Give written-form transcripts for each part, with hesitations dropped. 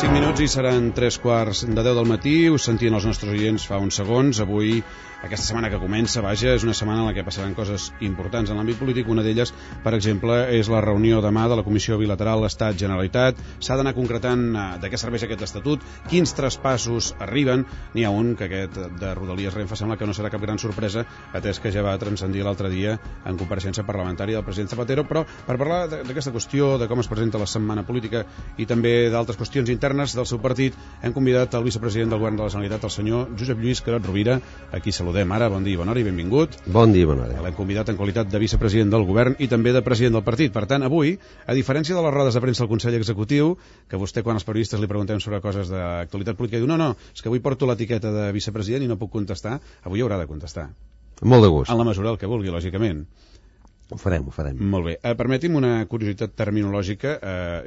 5 minuts i seran 3:15 del matí. Us sentien els nostres oients fa uns segons. Avui, aquesta setmana que comença, és una setmana en la que passaran coses importants en l'àmbit polític. Una d'elles, per exemple, és la reunió demà de la Comissió Bilateral Estat-Generalitat. S'ha d'anar concretant de què serveix aquest estatut, quins traspassos arriben. N'hi ha un, que aquest de Rodalies Renfe sembla que no serà cap gran sorpresa, atès que ja va transcendir l'altre dia en compareixença parlamentària del president Zapatero. Però per parlar d'aquesta qüestió, de com es presenta la setmana política i també d'altres qüestions internes del seu partit, hem convidat el vicepresident del Govern de la Generalitat, el senyor Josep Lluís Carod Rovira. Aquí saludem ara. Bon dia i bona hora i benvingut. Bon dia i bona hora. L'hem convidat en qualitat de vicepresident del Govern i també de president del partit. Per tant, avui, a diferència de les rodes de premsa del Consell Executiu, que vostè, quan els periodistes li preguntem sobre coses d'actualitat política, diu, no, és que avui porto l'etiqueta de vicepresident i no puc contestar, avui haurà de contestar. Molt de gust. En la mesura del que vulgui, lògicament. Ho farem. Molt bé. Permeti'm una curiositat terminològica.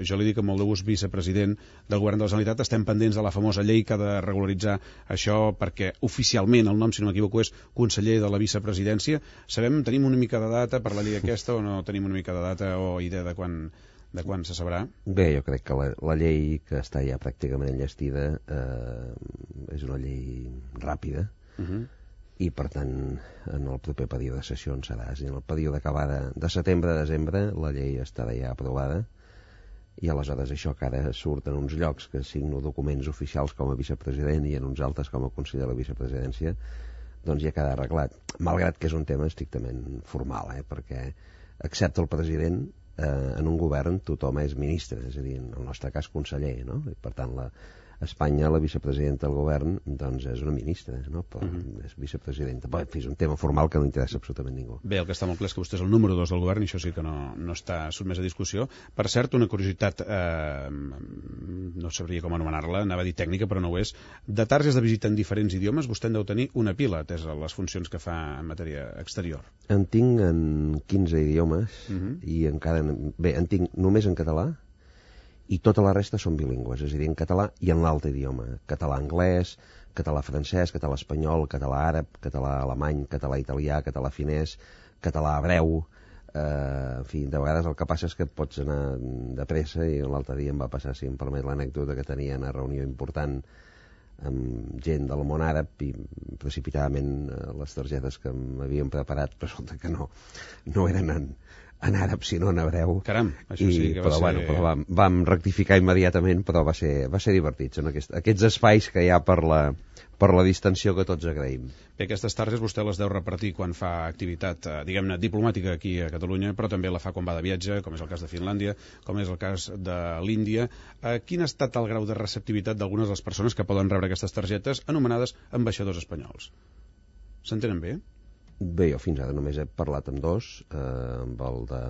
Jo li dic amb molt de gust vicepresident del Govern de la Generalitat. Estem pendents de la famosa llei que ha de regularitzar això, perquè oficialment el nom, si no m'equivoco, és conseller de la vicepresidència. Tenim una mica de data per la llei aquesta o no tenim una mica de data o idea de quan se sabrà? Bé, jo crec que la llei, que està ja pràcticament enllestida, és una llei ràpida. I per tant en el proper període de sessions serà, és a dir, en el període que va de setembre a desembre la llei estarà ja aprovada i aleshores això que ara surt en uns llocs que signo documents oficials com a vicepresident i en uns altres com a conseller de la vicepresidència, doncs ja queda arreglat, malgrat que és un tema estrictament formal, perquè excepte el president en un govern tothom és ministre, és a dir, en el nostre cas conseller, no? I per tant a Espanya la vicepresidenta del govern doncs és una ministra, no? Però és vicepresidenta. Però, en fi, és un tema formal que no interessa absolutament ningú. Bé, el que està molt clar és que vostè és el número 2 del govern i això sí que no està sotmès a discussió. Per cert, una curiositat, no sabria com anomenar-la, anava a dir tècnica, però no ho és. De targes de visita en diferents idiomes, vostè en deu tenir una pila, atès a les funcions que fa en matèria exterior. En tinc en 15 idiomes i encara... Bé, en tinc només en català, i tota la resta són bilingües, és a dir, en català i en l'altre idioma, català-anglès, català-francès, català-espanyol, català-àrab, català-alemany, català-italià, català-finès, català-hebreu, en fi, de vegades el que passa és que pots anar de pressa i l'altre dia em va passar, si em permet l'anècdota, que tenia una reunió important amb gent del món àrab i precipitadament les targetes que m'havien preparat resulta que no eren en àrab, sinó en hebreu. Caram, això sí que va ser... Però vam rectificar immediatament, però va ser divertit. Són aquests espais que hi ha per la distensió que tots agraïm. Bé, aquestes targes vostè les deu repartir quan fa activitat, diguem-ne, diplomàtica aquí a Catalunya, però també la fa quan va de viatge, com és el cas de Finlàndia, com és el cas de l'Índia. Quin ha estat el grau de receptivitat d'algunes de les persones que poden rebre aquestes targetes anomenades ambaixadors espanyols? S'entenen bé? Bé, jo fins ara només he parlat amb dos, amb el de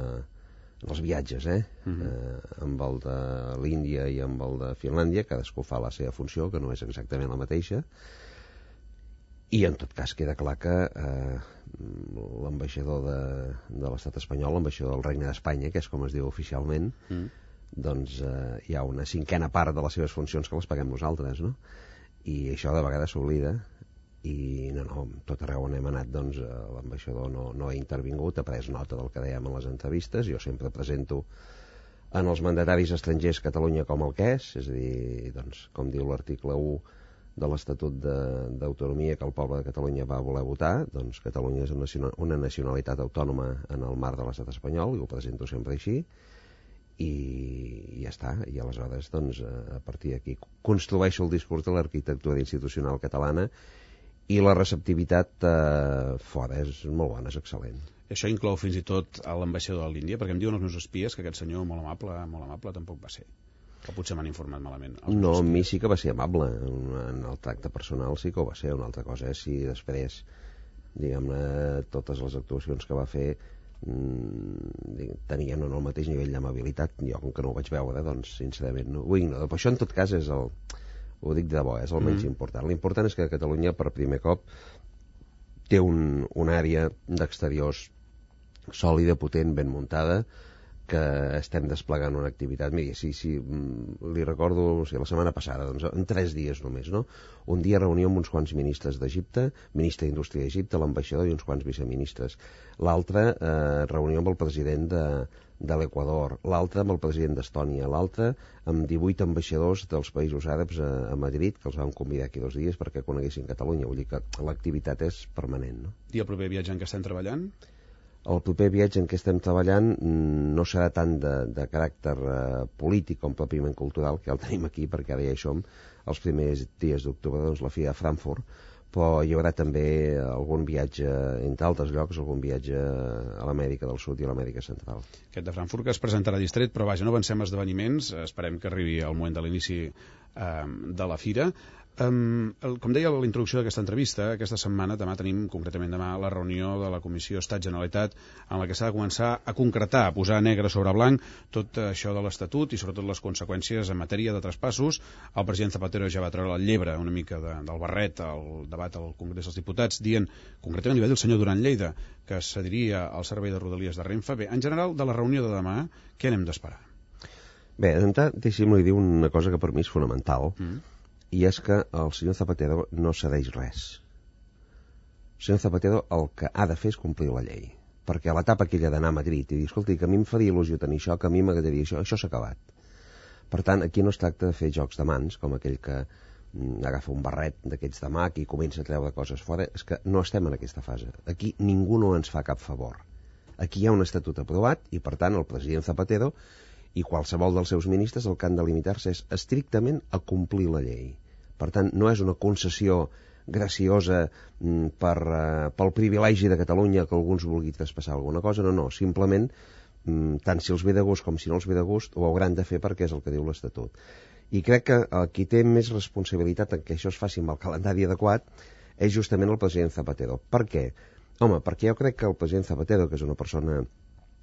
els viatges, amb el de l'Índia i amb el de Finlàndia, cadascú fa la seva funció, que no és exactament la mateixa, i en tot cas queda clar que l'ambaixador de l'estat espanyol, l'ambaixador del Regne d'Espanya, que és com es diu oficialment, doncs hi ha una cinquena part de les seves funcions que les paguem nosaltres, no? I això de vegades s'oblida. I tot arreu on hem anat doncs l'ambaixador no ha intervingut, ha pres nota del que dèiem en les entrevistes. Jo sempre presento en els mandataris estrangers Catalunya com el que és a dir, doncs, com diu l'article 1 de l'Estatut d'Autonomia que el poble de Catalunya va voler votar, doncs Catalunya és una nacionalitat autònoma en el marc de l'estat espanyol, i ho presento sempre així, i ja està. I aleshores doncs a partir d'aquí construeixo el discurs de l'arquitectura institucional catalana. I la receptivitat fora és molt bona, és excel·lent. Això inclou fins i tot a l'ambaixador de l'Índia, perquè em diuen els meus espies que aquest senyor molt amable tampoc va ser. O potser m'han informat malament. No, a mi sí que va ser amable. En el tracte personal sí que ho va ser. Una altra cosa és si després, diguem-ne, totes les actuacions que va fer tenien o no el mateix nivell d'amabilitat. Jo, com que no ho vaig veure, doncs, sincerament, no ho ignoro. Però això, en tot cas, és ho dic de bo, és el menys important. L'important és que Catalunya per primer cop té una àrea d'exteriors sòlida, potent, ben muntada, que estem desplegant una activitat. Miri, si li recordo, la setmana passada, doncs, en 3 dies només, no? Un dia reunió amb uns quants ministres d'Egipte, ministre d'Indústria d'Egipte, l'ambaixador i uns quants viceministres. L'altre, reunió amb el president de l'Equador, l'altre amb el president d'Estònia, l'altre amb 18 ambaixadors dels països àrabs a Madrid, que els vam convidar aquí 2 dies perquè coneguessin Catalunya. Vull dir que l'activitat és permanent, no? I el proper viatge en què estem treballant? El proper viatge en què estem treballant no serà tant de caràcter polític com pròpiament cultural, que ja el tenim aquí, perquè ara ja hi som, els primers dies d'octubre, doncs la Fira de Frankfurt, però hi haurà també algun viatge, entre altres llocs, algun viatge a l'Amèrica del Sud i a l'Amèrica Central. Aquest de Frankfurt que es presentarà distret, però vaja, no avancem esdeveniments, esperem que arribi el moment de l'inici de la Fira. Com deia a la introducció d'aquesta entrevista, aquesta setmana, concretament demà, la reunió de la Comissió Estat-Generalitat en la que s'ha de començar a concretar, a posar negre sobre blanc tot això de l'Estatut i sobretot les conseqüències en matèria de traspassos. El president Zapatero ja va treure el llebre una mica del barret al debat al Congrés dels Diputats, dient, concretament li va dir el senyor Duran Lleida, que cediria al servei de Rodalies de Renfe. Bé, en general, de la reunió de demà, què n'hem d'esperar? Bé, d'entrada, deixi'm-li dir una cosa que per mi és fonamental, i és que el senyor Zapatero no cedeix res. El senyor Zapatero el que ha de fer és complir la llei, perquè a l'etapa aquella d'anar a Madrid i dir, escolti, que a mi em faria il·lusió tenir això, que a mi m'agradaria això s'ha acabat. Per tant, aquí no es tracta de fer jocs de mans, com aquell que agafa un barret d'aquests de mag i comença a treure coses fora. És que no estem en aquesta fase. Aquí ningú no ens fa cap favor. Aquí hi ha un estatut aprovat i, per tant, el president Zapatero i qualsevol dels seus ministres el que han de limitar-se és estrictament a complir la llei. Per tant, no és una concessió graciosa pel privilegi de Catalunya que alguns vulgui traspassar alguna cosa, no, simplement tant si els ve de gust com si no els ve de gust ho hauran de fer perquè és el que diu l'Estatut. I crec que qui té més responsabilitat en que això es faci amb el calendari adequat és justament el president Zapatero. Per què? Home, perquè jo crec que el president Zapatero, que és una persona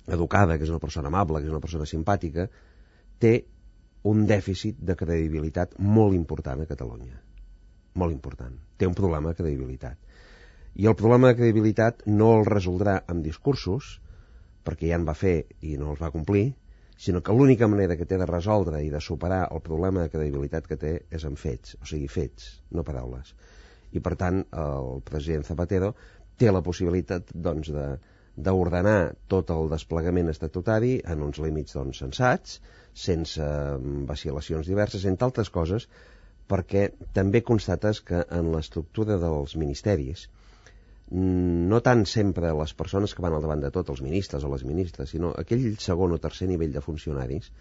educada, que és una persona amable, que és una persona simpàtica, té un dèficit de credibilitat molt important a Catalunya. Molt important. Té un problema de credibilitat. I el problema de credibilitat no el resoldrà amb discursos, perquè ja en va fer i no els va complir, sinó que l'única manera que té de resoldre i de superar el problema de credibilitat que té és amb fets, o sigui, fets, no paraules. I, per tant, el president Zapatero té la possibilitat, doncs, d'ordenar tot el desplegament estatutari en uns límits sensats, sense vacil·lacions diverses, entre altres coses, perquè també constates que en l'estructura dels ministeris, no tant sempre les persones que van al davant de tot, els ministres o les ministres, sinó aquell segon o tercer nivell de funcionaris,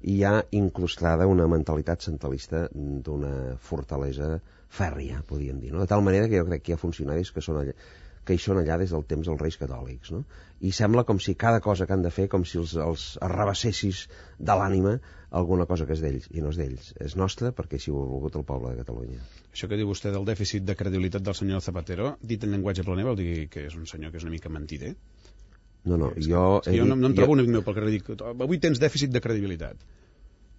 hi ha incrustada una mentalitat centralista d'una fortalesa fèrria, podríem dir, no? De tal manera que jo crec que hi ha funcionaris que hi són allà des del temps dels Reis Catòlics, no? I sembla com si cada cosa que han de fer, com si els arrabassessis de l'ànima alguna cosa que és d'ells, i no és d'ells, és nostra perquè així ho ha volgut el poble de Catalunya. Això que diu vostè del dèficit de credibilitat del senyor Zapatero, dit en llenguatge planer, vol dir que és un senyor que és una mica mentider? No, jo no em trobo un amic meu pel carrer i dic, avui tens dèficit de credibilitat.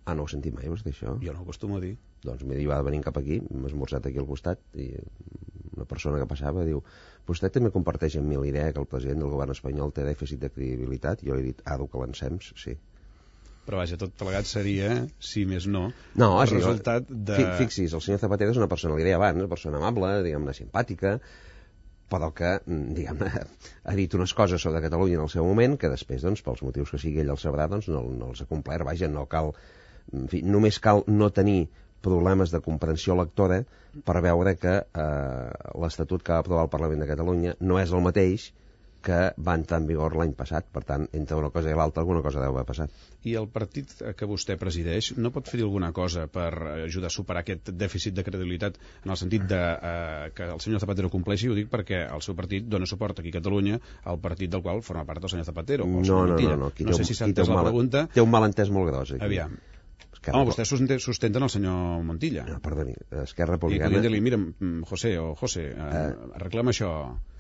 Ah, no ho he sentit mai, vostè, això? Jo no ho acostumo a dir. Doncs m'he dit, va venint cap aquí, m'ha esmorzat aquí al costat, i una persona que passava diu, vostè també comparteix amb mi la idea que el president del govern espanyol té dèficit de credibilitat? Jo li he dit, que l'encems, sí. Però vaja, tot plegat seria, si més no, el resultat de... Fixi's, el senyor Zapatero és una persona, li deia abans, una persona amable, diguem-ne, simpàtica, però que, diguem-ne, ha dit unes coses sobre Catalunya en el seu moment que després, doncs, pels motius que sigui ell el sabrà, doncs no els ha complert. Vaja, no cal... En fi, només cal no tenir problemes de comprensió lectora per veure que l'Estatut que va aprovar el Parlament de Catalunya no és el mateix que va entrar en vigor l'any passat. Per tant, entre una cosa i l'altra, alguna cosa deu haver passat. I el partit que vostè presideix no pot fer alguna cosa per ajudar a superar aquest dèficit de credibilitat en el sentit de que el senyor Zapatero compleixi? Ho dic perquè el seu partit dona suport aquí a Catalunya al partit del qual forma part el senyor Zapatero. No. No sé si s'ha entès la pregunta. Té un malentès molt gros aquí. Aviam. Home, vostè sustenta el senyor Montilla. No, perdoni, Esquerra Republicana... I podria dir-li, mira, José, arreglem això.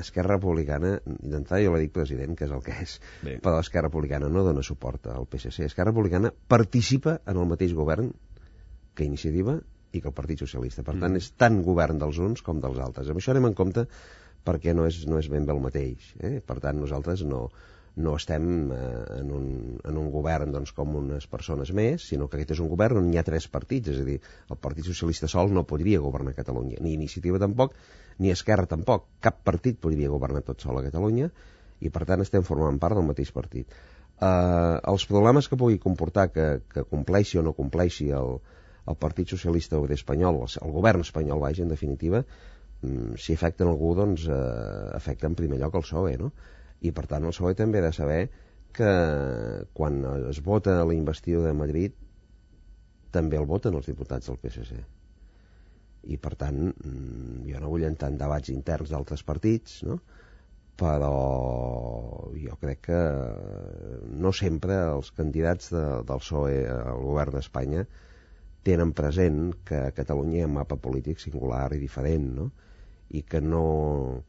Esquerra Republicana, d'entrada jo la dic president, que és el que és, bé. Però Esquerra Republicana no dona suport al PSC. Esquerra Republicana participa en el mateix govern que Iniciativa i que el Partit Socialista. Per tant, és tant govern dels uns com dels altres. Amb això anem en compte perquè no és ben bé el mateix. Per tant, nosaltres no no estem en un govern doncs, com unes persones més, sinó que aquest és un govern on hi ha 3 partits, és a dir, el Partit Socialista sol no podria governar Catalunya, ni Iniciativa tampoc, ni Esquerra tampoc, cap partit podria governar tot sol a Catalunya, i per tant estem formant part del mateix partit. Els problemes que pugui comportar que compleixi o no compleixi el Partit Socialista Obrer Espanyol, el govern espanyol, vaja, en definitiva, si afecten algú, doncs afecta en primer lloc el PSOE, no? I per tant el PSOE també ha de saber que quan es vota la investidura de Madrid també el voten els diputats del PSC. I per tant jo no vull entrar en debats interns d'altres partits, no? Però jo crec que no sempre els candidats del PSOE al govern d'Espanya tenen present que a Catalunya hi ha un mapa polític singular i diferent, no? I que no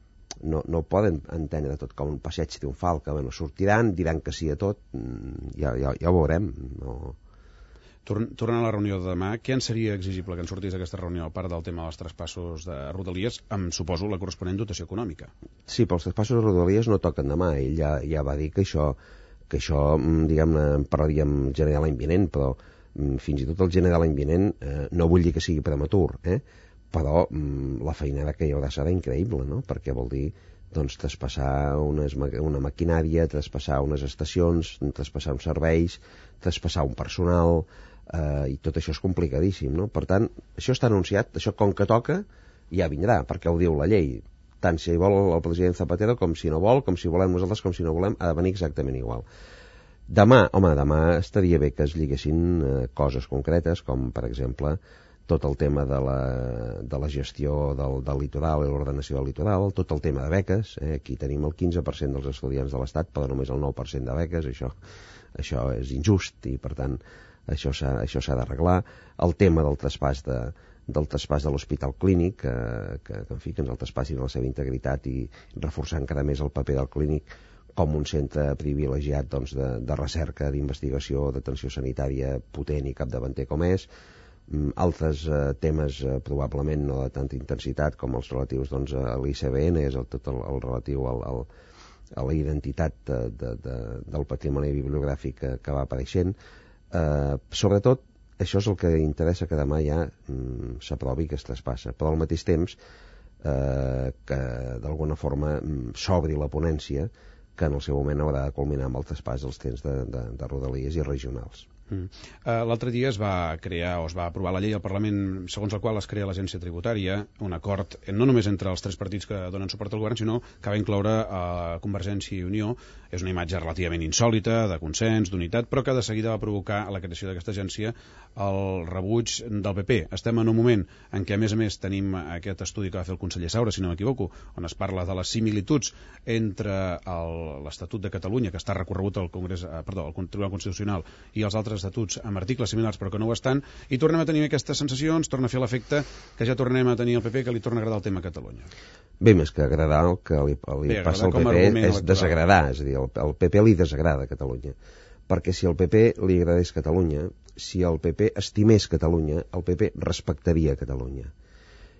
poden entendre tot com un passeig triomfal, que bueno, sortiran, diran que sí a tot, ja ho veurem. No. Tornant a la reunió de demà, què en seria exigible que en sortís d'aquesta reunió, a part del tema dels traspassos de Rodalies, amb, suposo, la corresponent dotació econòmica? Sí, però els traspassos de Rodalies no toquen demà. Ell ja va dir que això diguem-ne, en parlaríem gener l'any vinent, però fins i tot el gener l'any vinent no vull dir que sigui prematur, però la feinada que hi haurà serà increïble, no? Perquè vol dir doncs, traspassar una maquinària, traspassar unes estacions, traspassar uns serveis, traspassar un personal, i tot això és complicadíssim, no? Per tant, això està anunciat, això com que toca ja vindrà, perquè ho diu la llei, tant si vol el president Zapatero com si no vol, com si volem nosaltres, com si no volem, ha de venir exactament igual. Demà estaria bé que es lliguessin coses concretes, com per exemple tot el tema de la gestió del litoral i l'ordenació del litoral, tot el tema de beques, aquí tenim el 15% dels estudiants de l'Estat, però només el 9% de beques, això és injust i per tant això s'ha d'arreglar. El tema del traspàs de l'Hospital Clínic, que en fi, que ens el traspassin a la seva integritat i reforçar encara més el paper del clínic com un centre privilegiat doncs, de recerca, d'investigació, d'atenció sanitària potent i capdavanter com és. Altres temes probablement no de tanta intensitat com els relatius doncs, a l'ICBN, és tot el relatiu a la identitat del patrimoni bibliogràfic que va apareixent. Sobretot, això és el que interessa que demà ja s'aprovi que es traspassa, però al mateix temps que d'alguna forma s'obri la ponència que en el seu moment haurà de culminar amb el traspàs dels trens de Rodalies i regionals. L'altre dia es va crear o es va aprovar la llei al Parlament segons la qual es crea l'agència tributària, un acord no només entre els 3 partits que donen suport al govern, sinó que va incloure Convergència i Unió. És una imatge relativament insòlita, de consens, d'unitat, però que de seguida va provocar a la creació d'aquesta agència el rebuig del PP. Estem en un moment en què, a més, tenim aquest estudi que va fer el conseller Saura, si no m'equivoco, on es parla de les similituds entre l'Estatut de Catalunya, que està recorregut al Tribunal Constitucional, i els altres estatuts amb articles similars però que no ho estan, i tornem a tenir aquestes sensacions, torna a fer l'efecte que ja tornem a tenir el PP, que li torna a agradar el tema Catalunya. Bé, més que agradar, el que li passa al PP és desagradar, és a dir, el PP li desagrada Catalunya, perquè si al PP li agradés Catalunya, si el PP estimés Catalunya, el PP respectaria Catalunya.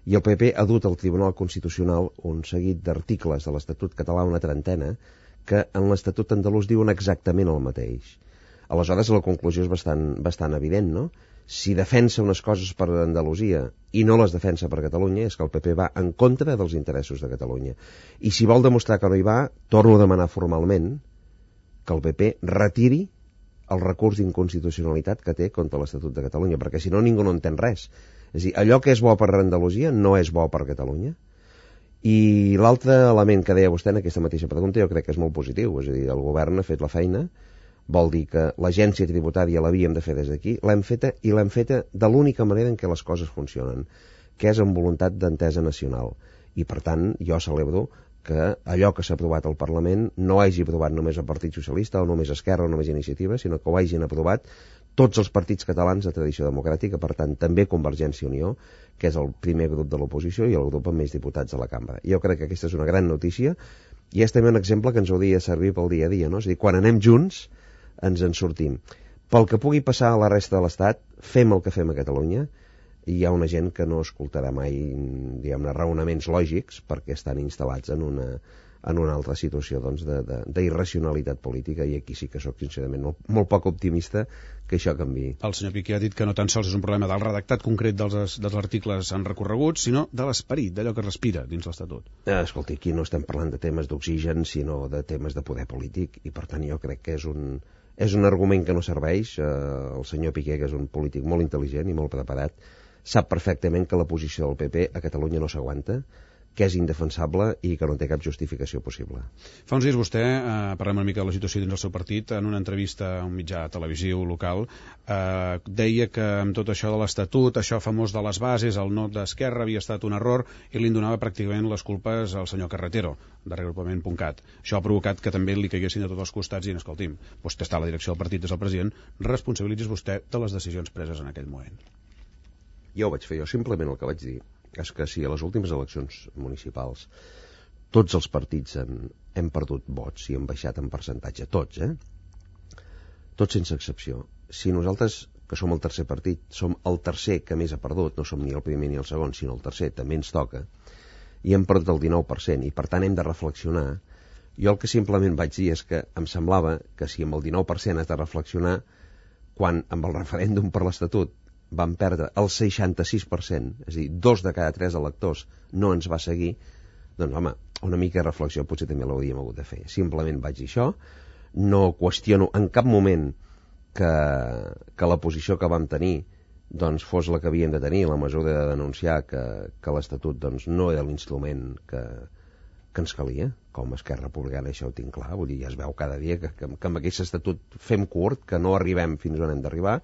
I el PP ha dut al Tribunal Constitucional un seguit d'articles de l'Estatut català, una trentena, que en l'Estatut andalús diuen exactament el mateix. Aleshores la conclusió és bastant evident, no? Si defensa unes coses per Andalusia i no les defensa per Catalunya, és que el PP va en contra dels interessos de Catalunya. I si vol demostrar que no hi va, torno a demanar formalment que el PP retiri el recurs d'inconstitucionalitat que té contra l'Estatut de Catalunya, perquè si no ningú no entén res. És a dir, allò que és bo per Andalusia no és bo per Catalunya. I l'altre element que deia vostè en aquesta mateixa pregunta jo crec que és molt positiu, és a dir, el govern ha fet la feina, vol dir que l'agència tributària l'havíem de fer des d'aquí, l'hem feta de l'única manera en què les coses funcionen, que és amb voluntat d'entesa nacional. I per tant, jo celebro que allò que s'ha aprovat al Parlament no hagi aprovat només el Partit Socialista o només Esquerra o només Iniciativa, sinó que ho hagin aprovat tots els partits catalans de tradició democràtica, per tant també Convergència i Unió, que és el primer grup de l'oposició i el grup amb més diputats de la cambra. Jo crec que aquesta és una gran notícia i és també un exemple que ens hauria de servir pel dia a dia, no? És a dir, quan anem junts ens en sortim. Pel que pugui passar a la resta de l'Estat, fem el que fem a Catalunya, i hi ha una gent que no escoltarà mai, diguem-ne, raonaments lògics perquè estan instal·lats en en una altra situació doncs, d'irracionalitat política, i aquí sí que sóc sincerament molt poc optimista que això canviï. El senyor Piqué ha dit que no tan sols és un problema del redactat concret dels articles en recorregut, sinó de l'esperit, d'allò que respira dins l'Estatut. Escolti, aquí no estem parlant de temes d'oxigen, sinó de temes de poder polític, i per tant jo crec que és un argument que no serveix. El senyor Piqué, que és un polític molt intel·ligent i molt preparat, sap perfectament que la posició del PP a Catalunya no s'aguanta, que és indefensable i que no té cap justificació possible. Fa uns dies vostè, parlem una mica de la situació dins del seu partit, en una entrevista a un mitjà televisiu local, deia que amb tot això de l'Estatut, això famós de les bases, el no d'Esquerra havia estat un error i li donava pràcticament les culpes al senyor Carretero, de reagrupament.cat. Això ha provocat que també li caiguessin de tots els costats i, escolti'm, vostè està a la direcció del partit, és el president, responsabilitzis vostè de les decisions preses en aquell moment. Ja ho vaig fer jo, simplement el que vaig dir és que si a les últimes eleccions municipals tots els partits hem perdut vots i hem baixat en percentatge, tots, tots sense excepció. Si nosaltres, que som el tercer partit, som el tercer que més ha perdut, no som ni el primer ni el segon, sinó el tercer, també ens toca, i hem perdut el 19%, i per tant hem de reflexionar. Jo el que simplement vaig dir és que em semblava que si amb el 19% has de reflexionar, quan amb el referèndum per l'Estatut van perdre el 66%, és a dir, 2 de cada 3 electors no ens va seguir, doncs home, una mica de reflexió potser també l'hauríem hagut de fer. Simplement vaig dir això, no qüestiono en cap moment que la posició que vam tenir doncs fos la que havíem de tenir, la mesura de denunciar que l'Estatut doncs, no era l'instrument que ens calia, com a Esquerra Republicana, això ho tinc clar, vull dir, ja es veu cada dia que amb aquest Estatut fem curt, que no arribem fins on hem d'arribar.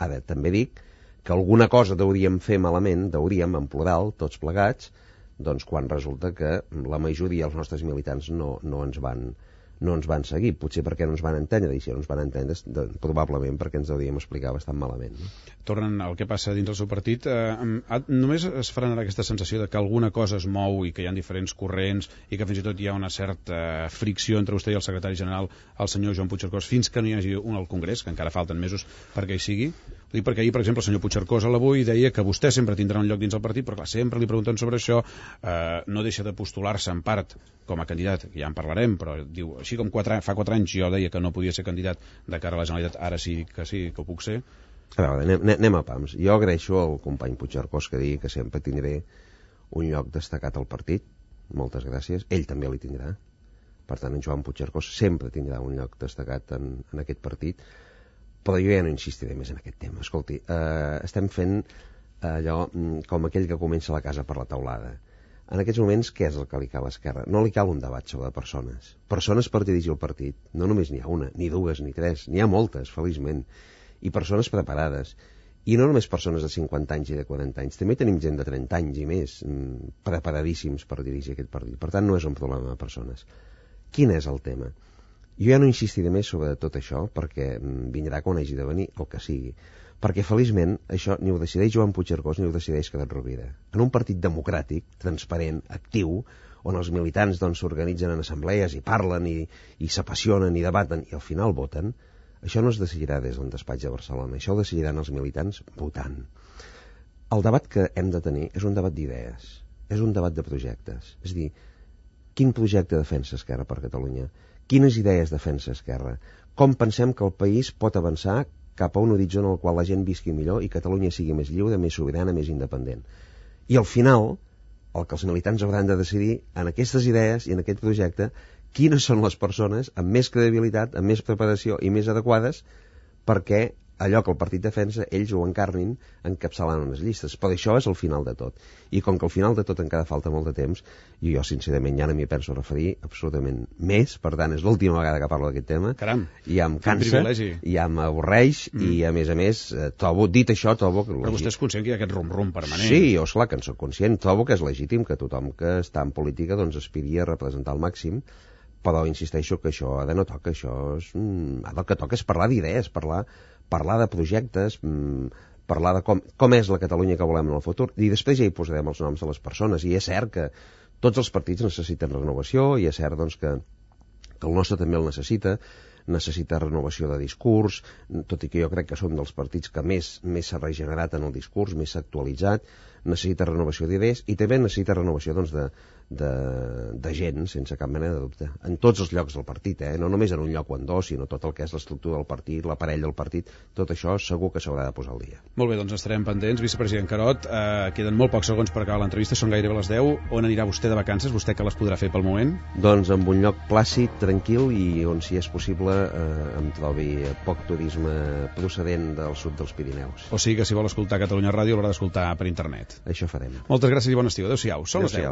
Ara, també dic que alguna cosa hauríem fer malament, en plural, tots plegats, doncs quan resulta que la majoria dels nostres militants no ens van seguir, potser perquè no ens van entendre, i si no ens van entendre probablement perquè ens hauríem explicar bastant malament. No? Tornen al que passa dins del seu partit, només es frenarà aquesta sensació de que alguna cosa es mou i que hi ha diferents corrents i que fins i tot hi ha una certa fricció entre vostè i el secretari general, el senyor Joan Puigcercós, fins que no hi hagi un al Congrés, que encara falten mesos perquè hi sigui? Ho dic perquè ahir, per exemple, el senyor Puigcercós a l'Avui deia que vostè sempre tindrà un lloc dins el partit, però clar, sempre li pregunten sobre això, no deixa de postular-se en part com a candidat, ja en parlarem, però diu, així com fa 4 anys jo deia que no podia ser candidat de cara a la Generalitat, ara sí que ho puc ser. A veure, anem a pams. Jo agraeixo al company Puigcercós que digui que sempre tindré un lloc destacat al partit, moltes gràcies, ell també li tindrà, per tant en Joan Puigcercós sempre tindrà un lloc destacat en aquest partit, però jo ja no insistiré més en aquest tema. Escolti, estem fent allò com aquell que comença la casa per la teulada. En aquests moments, què és el que li cal a Esquerra? No li cal un debat sobre persones. Persones per dirigir el partit. No només n'hi ha una, ni dues, ni tres. N'hi ha moltes, feliçment. I persones preparades. I no només persones de 50 anys i de 40 anys. També tenim gent de 30 anys i més preparadíssims per dirigir aquest partit. Per tant, no és un problema de persones. Quin és el tema? Jo ja no insistiré més sobre tot això perquè vindrà quan hagi de venir el que sigui. Perquè feliçment això ni ho decideix Joan Puigcercós ni ho decideix Carod Rovira. En un partit democràtic, transparent, actiu, on els militants s'organitzen en assemblees i parlen i s'apassionen i debaten i al final voten, això no es decidirà des d'un despatx de Barcelona, això ho decidiran els militants votant. El debat que hem de tenir és un debat d'idees, és un debat de projectes. És a dir, quin projecte defensa Esquerra per Catalunya? Quines idees defensa Esquerra? Com pensem que el país pot avançar cap a un horitzó en el qual la gent visqui millor i Catalunya sigui més lliure, més sobirana, més independent? I al final, el que els militants hauran de decidir en aquestes idees i en aquest projecte, quines són les persones amb més credibilitat, amb més preparació i més adequades perquè allò que el partit defensa, ells ho encarnin encapçalant unes llistes. Però això és el final de tot. I com que al final de tot encara falta molt de temps, i jo sincerament ja no m'hi penso referir absolutament més, per tant és l'última vegada que parlo d'aquest tema. Caram, ja em cansa, ja m'avorreix i a més, dit això, trobo que... Però vostè és conscient que hi ha aquest rum-rum permanent. Sí, jo esclar que en soc conscient, trobo que és legítim que tothom que està en política aspiri a representar al màxim, però insisteixo que això ara no toca, això és... Ara el que toca és parlar d'idees, parlar de projectes, parlar de com és la Catalunya que volem en el futur, i després ja hi posarem els noms de les persones. I és cert que tots els partits necessiten renovació, i és cert que el nostre també el necessita renovació de discurs, tot i que jo crec que som dels partits que més s'ha regenerat en el discurs, més s'ha actualitzat. necessita renovació d'idees i també necessita renovació doncs, de gent, sense cap mena de dubte, en tots els llocs del partit, no només en un lloc o en dos, sinó tot el que és l'estructura del partit, l'aparell del partit, tot això segur que s'haurà de posar al dia. Molt bé, doncs estarem pendents. Vicepresident Carod, queden molt pocs segons per acabar l'entrevista, són gairebé les 10. On anirà vostè de vacances? Vostè que les podrà fer pel moment? Doncs en un lloc plàcid, tranquil i on, si és possible, em trobi poc turisme procedent del sud dels Pirineus. O sigui que si vol escoltar Catalunya Ràdio l'haurà d'escoltar per internet. Això farem. Moltes gràcies i bon estiu. Adéu-siau. Són les 10.